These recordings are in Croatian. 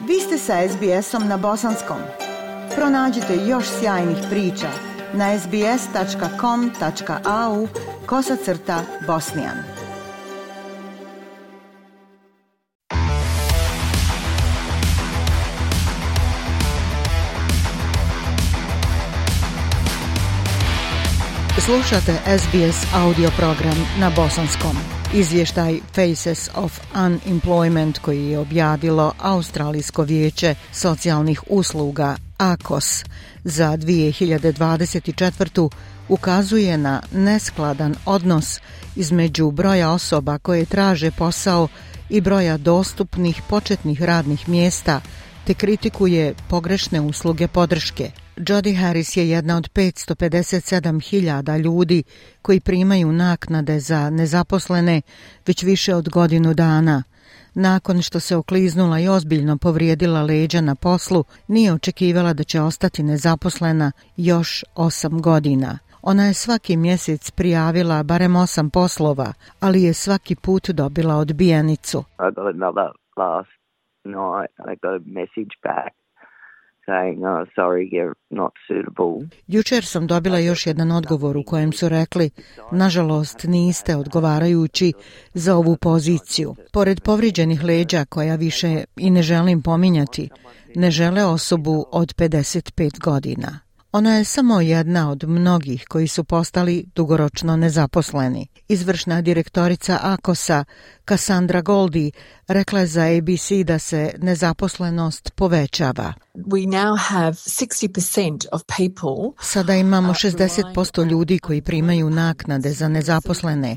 Vi ste sa SBS-om na bosanskom. Pronađite još sjajnih priča na sbs.com.au/bosnian. Slušate SBS audio program na bosanskom. Izvještaj Faces of Unemployment koji je objavilo Australijsko vijeće socijalnih usluga ACOS za 2024. ukazuje na neskladan odnos između broja osoba koje traže posao i broja dostupnih početnih radnih mjesta, te kritikuje pogrešne usluge podrške. Jodi Harris je jedna od 557.000 ljudi koji primaju naknade za nezaposlene već više od godinu dana. Nakon što se okliznula i ozbiljno povrijedila leđa na poslu, nije očekivala da će ostati nezaposlena još 8 godina. Ona je svaki mjesec prijavila barem 8 poslova, ali je svaki put dobila odbijenicu. Jučer sam dobila još jedan odgovor u kojem su rekli: nažalost, niste odgovarajući za ovu poziciju. Pored povrijeđenih leđa, koja više i ne želim pominjati, ne žele osobu od 55 godina. Ona je samo jedna od mnogih koji su postali dugoročno nezaposleni. Izvršna direktorica ACOS-a Cassandra Goldie rekla je za ABC da se nezaposlenost povećava. Sada imamo 60% ljudi koji primaju naknade za nezaposlene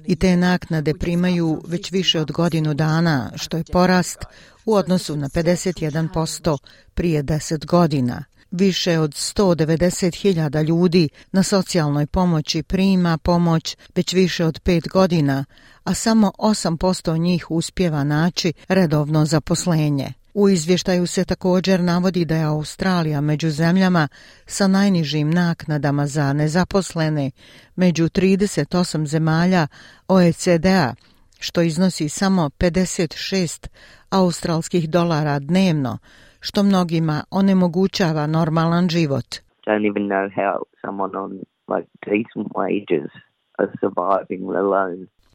i te naknade primaju već više od godinu dana, što je porast u odnosu na 51% prije 10 godina. Više od 190.000 ljudi na socijalnoj pomoći prima pomoć već više od 5 godina, a samo 8% njih uspijeva naći redovno zaposlenje. U izvještaju se također navodi da je Australija među zemljama sa najnižim naknadama za nezaposlene među 38 zemalja OECD-a, što iznosi samo 56 australskih dolara dnevno, što mnogima onemogućava normalan život.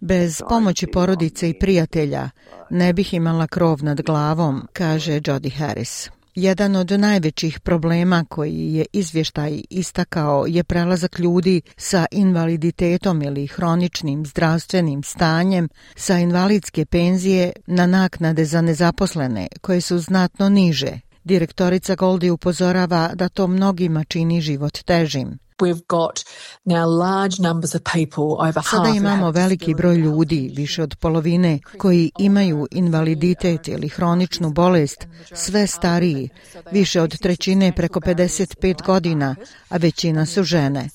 Bez pomoći porodice i prijatelja ne bih imala krov nad glavom, kaže Jodi Harris. Jedan od najvećih problema koji je izvještaj istakao je prelazak ljudi sa invaliditetom ili hroničnim zdravstvenim stanjem sa invalidske penzije na naknade za nezaposlene, koje su znatno niže. Direktorica Goldie upozorava da to mnogima čini život težim. Sada imamo veliki broj ljudi, više od polovine, koji imaju invaliditet ili hroničnu bolest, sve stariji, više od trećine preko 55 godina, a većina su žene.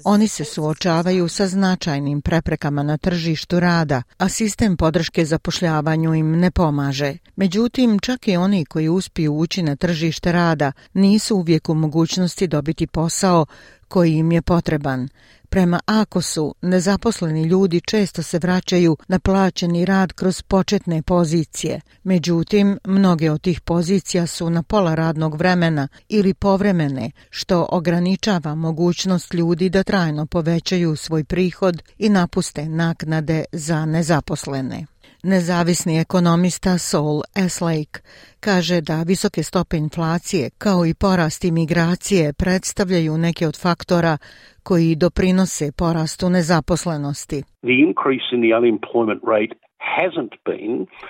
Oni se suočavaju sa značajnim preprekama na tržištu rada, a sistem podrške zapošljavanju im ne pomaže. Međutim, čak i oni koji uspiju ući na tržište rada nisu uvijek u mogućnosti dobiti posao koji im je potreban. Prema ACOS-u, nezaposleni ljudi često se vraćaju na plaćeni rad kroz početne pozicije. Međutim, mnoge od tih pozicija su na pola radnog vremena ili povremene, što ograničava mogućnost ljudi da trajno povećaju svoj prihod i napuste naknade za nezaposlene. Nezavisni ekonomista Saul Eslake kaže da visoke stope inflacije kao i porast imigracije predstavljaju neke od faktora koji doprinose porastu nezaposlenosti.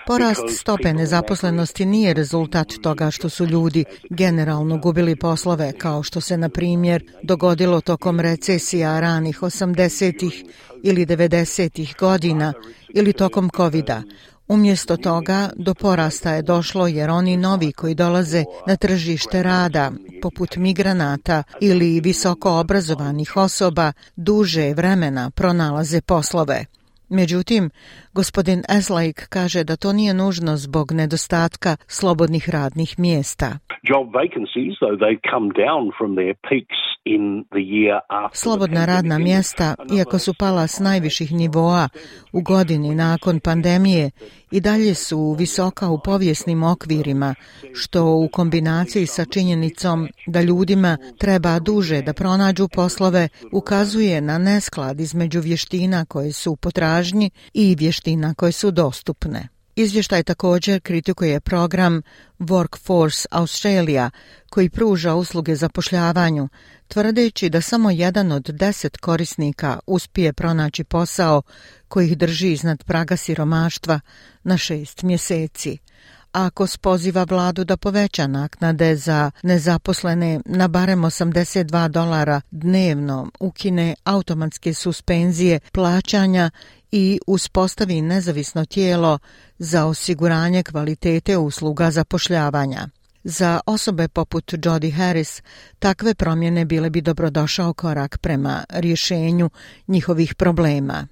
Porast stope nezaposlenosti nije rezultat toga što su ljudi generalno gubili poslove, kao što se, na primjer, dogodilo tokom recesija ranih 80-ih ili 90-ih godina ili tokom covida. Umjesto toga, do porasta je došlo jer oni novi koji dolaze na tržište rada, poput migranata ili visoko obrazovanih osoba, duže vremena pronalaze poslove. Međutim, gospodin Eslake kaže da to nije nužno zbog nedostatka slobodnih radnih mjesta. Job vacancies, though they've come down from their peaks Slobodna radna mjesta, iako su pala s najviših nivoa u godini nakon pandemije, i dalje su visoka u povijesnim okvirima, što u kombinaciji sa činjenicom da ljudima treba duže da pronađu poslove ukazuje na nesklad između vještina koje su u potražnji i vještina koje su dostupne. Izvještaj također kritikuje program Workforce Australia koji pruža usluge zapošljavanju, tvrdeći da samo 1 od 10 korisnika uspije pronaći posao koji ih drži iznad praga siromaštva na 6 mjeseci. Ako poziva vladu da poveća naknade za nezaposlene na barem $82 dnevno, ukine automatske suspenzije plaćanja i uspostavi nezavisno tijelo za osiguranje kvalitete usluga zapošljavanja. Za osobe poput Jodi Harris takve promjene bile bi dobrodošao korak prema rješenju njihovih problema.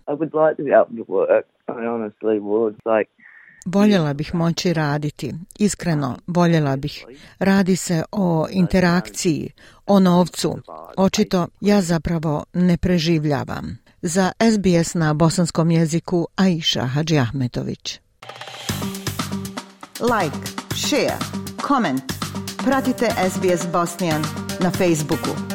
Voljela bih moći raditi, iskreno voljela bih. Radi se o interakciji, o novcu. Očito ja zapravo ne preživljavam. Za SBS na bosanskom jeziku Aisha Hadžiahmetović. Like, share, comment. Pratite SBS Bosnian na Facebooku.